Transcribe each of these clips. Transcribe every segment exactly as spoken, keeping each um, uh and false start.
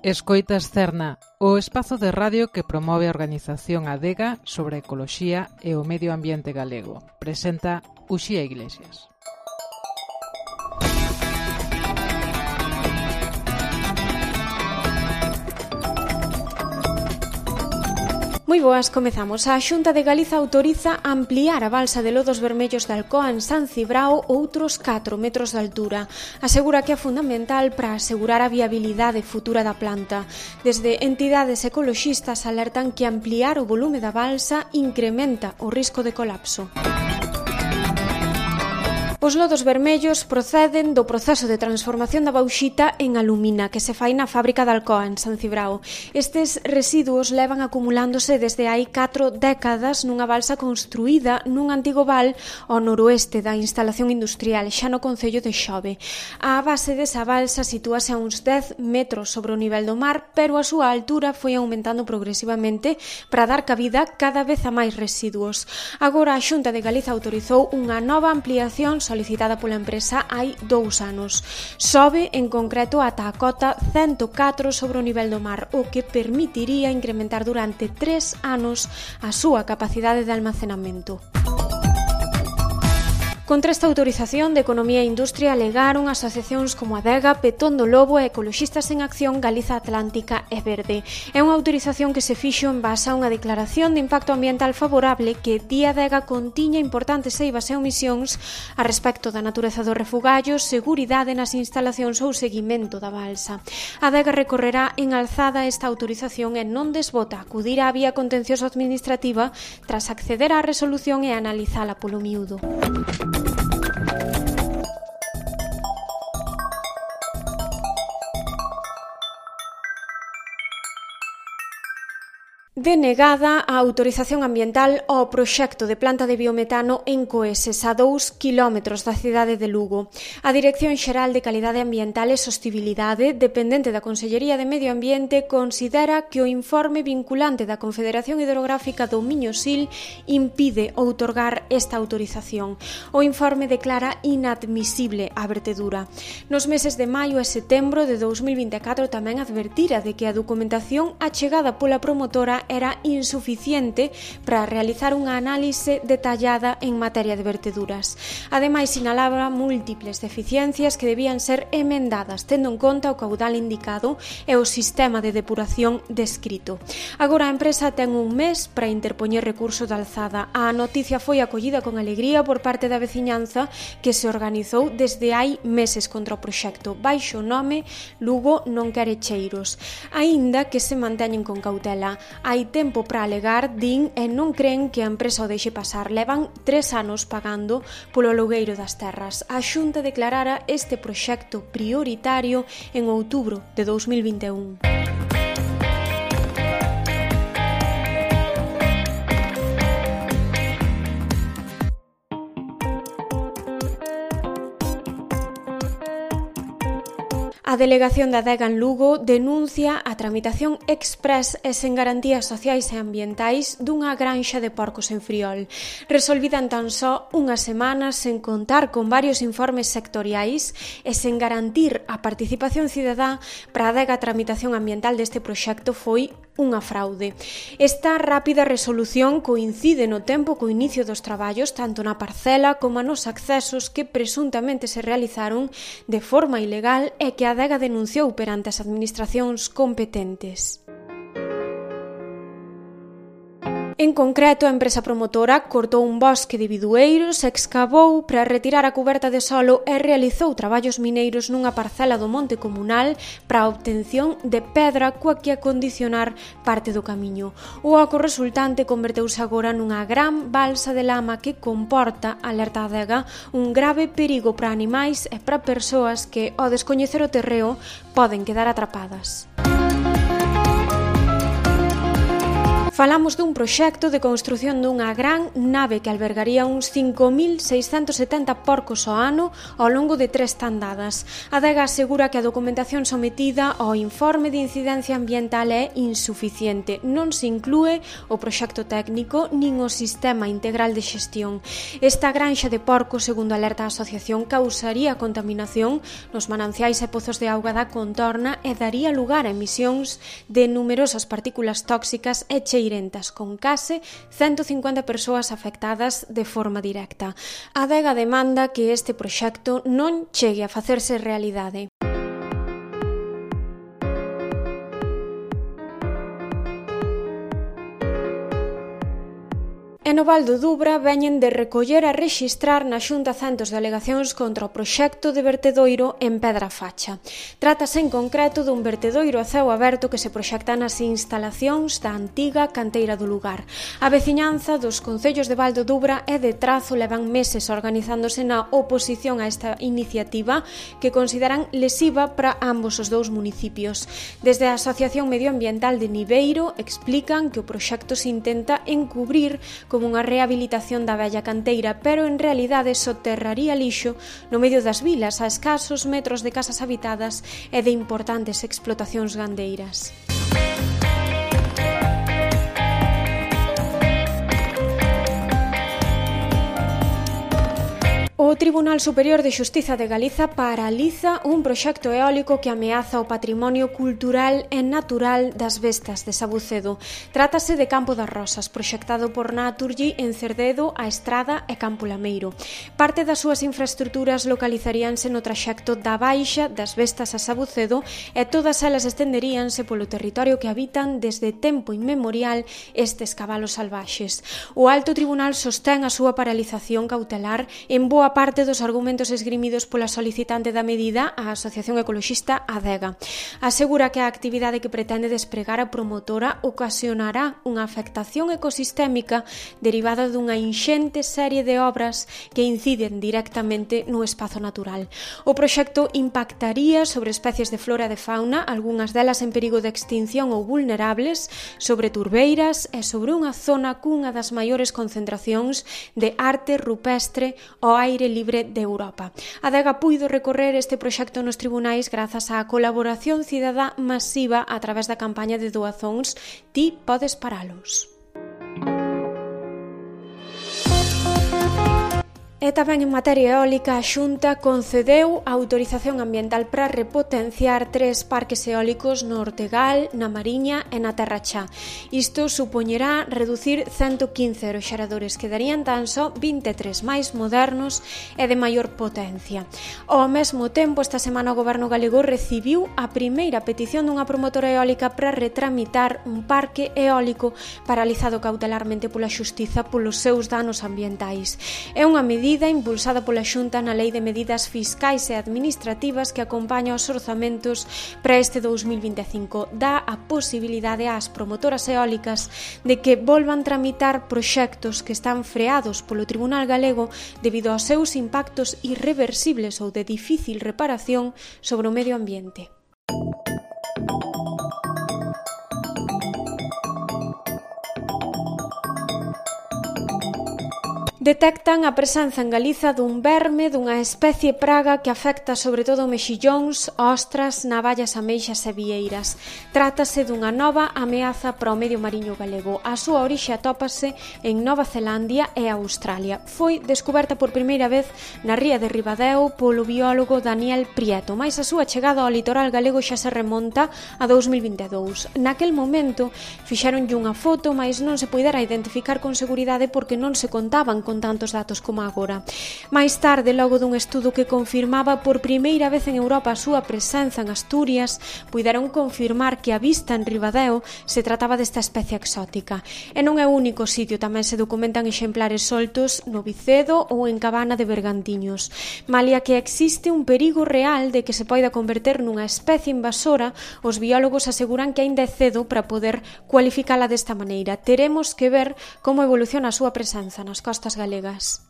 Escoitas Cerna, o espazo de radio que promove a organización Adega sobre a ecoloxía e o medio ambiente galego. Presenta Uxía Iglesias. Moi boas, comezamos. A Xunta de Galiza autoriza ampliar a balsa de lodos vermellos de Alcoa en San Cibrao outros catro metros de altura. Asegura que é fundamental para asegurar a viabilidade futura da planta. Desde entidades ecoloxistas alertan que ampliar o volume da balsa incrementa o risco de colapso. Os lodos vermellos proceden do proceso de transformación da bauxita en alumina que se fai na fábrica de Alcoa en San Cibrao. Estes residuos levan acumulándose desde hai catro décadas nunha balsa construída nun antigo val ao noroeste da instalación industrial, xa no concello de Xove. A base desa balsa sitúase a uns dez metros sobre o nivel do mar, pero a súa altura foi aumentando progresivamente para dar cabida cada vez a máis residuos. Agora a Xunta de Galiza autorizou unha nova ampliación solicitada pola empresa hai dous anos. Sobe, en concreto, ata a cota cento catro sobre o nivel do mar, o que permitiría incrementar durante tres anos a súa capacidade de almacenamento. Contra esta autorización de Economía e Industria alegaron asociacións como Adega, Petón do Lobo e Ecoloxistas en Acción Galiza Atlántica e Verde. É unha autorización que se fixo en base a unha declaración de impacto ambiental favorable que di Adega contiña importantes eivas e omisións a respecto da natureza dos refugallos, seguridade nas instalacións ou seguimento da balsa. Adega recorrerá en alzada esta autorización e non desbota acudir á vía contencioso administrativa tras acceder á resolución e analizala polo miúdo. Denegada a autorización ambiental ao proxecto de planta de biometano en Coeses, a dous kilómetros da cidade de Lugo. A Dirección Xeral de Calidade Ambiental e Sostibilidade, dependente da Consellería de Medio Ambiente, considera que o informe vinculante da Confederación Hidrográfica do Miño-Sil impide outorgar esta autorización. O informe declara inadmisible a vertedura. Nos meses de maio e setembro de dous mil vinte e catro tamén advertira de que a documentación achegada pola promotora era insuficiente para realizar unha análise detallada en materia de verteduras. Ademais, sinalaba múltiples deficiencias que debían ser emendadas, tendo en conta o caudal indicado e o sistema de depuración descrito. Agora a empresa ten un mes para interpoñer recurso de alzada. A noticia foi acollida con alegría por parte da veciñanza que se organizou desde hai meses contra o proxecto, baixo o nome Lugo non quere cheiros. Aínda que se manteñen con cautela, hai tempo para alegar, din, e non creen que a empresa o deixe pasar. Levan tres anos pagando polo alugueiro das terras. A Xunta declarara este proxecto prioritario en outubro de dous mil vinte e un. A Delegación da Adega en Lugo denuncia a tramitación express e sen garantías sociais e ambientais dunha granxa de porcos en Friol. Resolvida en tan só unhas semanas sen contar con varios informes sectoriais e sen garantir a participación cidadá para a Adega a tramitación ambiental deste proxecto foi unha fraude. Esta rápida resolución coincide no tempo co inicio dos traballos tanto na parcela como nos accesos que presuntamente se realizaron de forma ilegal e que a Adega denunciou perante as administracións competentes. En concreto, a empresa promotora cortou un bosque de bidueiros, excavou para retirar a cuberta de solo e realizou traballos mineiros nunha parcela do monte comunal para a obtención de pedra coa que acondicionar parte do camiño. O oco resultante converteuse agora nunha gran balsa de lama que comporta, alerta a Adega, un grave perigo para animais e para persoas que, ao descoñecer o terreo, poden quedar atrapadas. Falamos dun proxecto de construción dunha gran nave que albergaría uns cinco mil seiscentos setenta porcos ao ano ao longo de tres tandadas. A Adega asegura que a documentación sometida ao informe de incidencia ambiental é insuficiente. Non se inclúe o proxecto técnico nin o sistema integral de xestión. Esta granxa de porcos, segundo alerta a asociación, causaría contaminación nos mananciais e pozos de auga da contorna e daría lugar a emisións de numerosas partículas tóxicas e cheirentas, con case ciento cincuenta persoas afectadas de forma directa. A Adega demanda que este proxecto non chegue a facerse realidade. E no Val do Dubra veñen de recoller e rexistrar na Xunta centos de alegacións contra o proxecto de vertedoiro en Pedra Facha. Trátase en concreto dun vertedoiro a ceo aberto que se proxecta nas instalacións da antiga canteira do lugar. A veciñanza dos concellos de Val do Dubra e de Trazo levan meses organizándose na oposición a esta iniciativa que consideran lesiva para ambos os dous municipios. Desde a Asociación Medioambiental de Niveiro explican que o proxecto se intenta encubrir como unha rehabilitación da vella canteira, pero en realidade soterraría lixo no medio das vilas a escasos metros de casas habitadas e de importantes explotacións gandeiras. O Tribunal Superior de Xustiza de Galiza paraliza un proxecto eólico que ameaza o patrimonio cultural e natural das Vestas de Sabucedo. Trátase de Campo das Rosas, proxectado por Naturgy en Cerdedo, A Estrada e Campo Lameiro. Parte das súas infraestructuras localizaríanse no traxecto da Baixa das Vestas a Sabucedo e todas elas estenderíanse polo territorio que habitan desde tempo inmemorial estes cabalos salvaxes. O Alto Tribunal sostén a súa paralización cautelar en boa parte dos argumentos esgrimidos pola solicitante da medida, a Asociación Ecoloxista Adega. Asegura que a actividade que pretende despregar a promotora ocasionará unha afectación ecosistémica derivada dunha inxente serie de obras que inciden directamente no espazo natural. O proxecto impactaría sobre especies de flora e de fauna, algunhas delas en perigo de extinción ou vulnerables, sobre turbeiras e sobre unha zona cunha das maiores concentracións de arte rupestre ao aire libre de Europa. A Adega puido recorrer este proxecto nos tribunais grazas á colaboración cidadá masiva a través da campaña de doazóns Ti podes paralos. E tamén en materia eólica, a Xunta concedeu a autorización ambiental para repotenciar tres parques eólicos no Ortegal, na Mariña e na Terra Chá. Isto supoñerá reducir ciento quince aeroxeradores, que darían tan só vinte e tres máis modernos e de maior potencia. Ao mesmo tempo, esta semana o Goberno galego recibiu a primeira petición dunha promotora eólica para retramitar un parque eólico paralizado cautelarmente pola Xustiza polos seus danos ambientais. É unha medida impulsada pola Xunta na Lei de Medidas Fiscais e Administrativas que acompaña os orzamentos para este dous mil vinte e cinco. Dá a posibilidade ás promotoras eólicas de que volvan tramitar proxectos que están freados polo Tribunal Galego debido aos seus impactos irreversibles ou de difícil reparación sobre o medio ambiente. Detectan a presenza en Galiza dun verme dunha especie praga que afecta sobre todo mexillóns, ostras, navallas, ameixas e vieiras. Trátase dunha nova ameaza para o medio mariño galego. A súa orixe atópase en Nova Zelandia e Australia. Foi descoberta por primeira vez na ría de Ribadeo polo biólogo Daniel Prieto, mais a súa chegada ao litoral galego xa se remonta a dous mil vinte e dous. Naquel momento fixeronlle unha foto, mais non se poidera identificar con seguridade porque non se contaban con tantos datos como agora. Mais tarde, logo dun estudo que confirmaba por primeira vez en Europa a súa presenza en Asturias, puideron confirmar que a vista en Ribadeo se trataba desta especie exótica. E non é o único sitio, tamén se documentan exemplares soltos no Vicedo ou en Cabana de Bergantiños. Malia que existe un perigo real de que se poida converter nunha especie invasora, os biólogos aseguran que aínda é cedo para poder cualificala desta maneira. Teremos que ver como evoluciona a súa presenza nas costas galegas.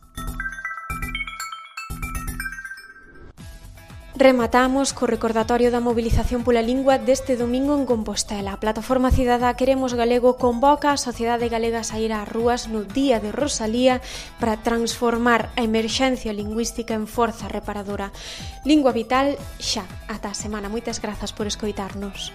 Rematamos co recordatorio da mobilización pola lingua deste domingo en Compostela. A Plataforma Cidadá Queremos Galego convoca a sociedade galega a sair ás rúas no Día de Rosalía para transformar a emerxencia lingüística en forza reparadora. Lingua vital xa ata a semana. Moitas grazas por escoitarnos.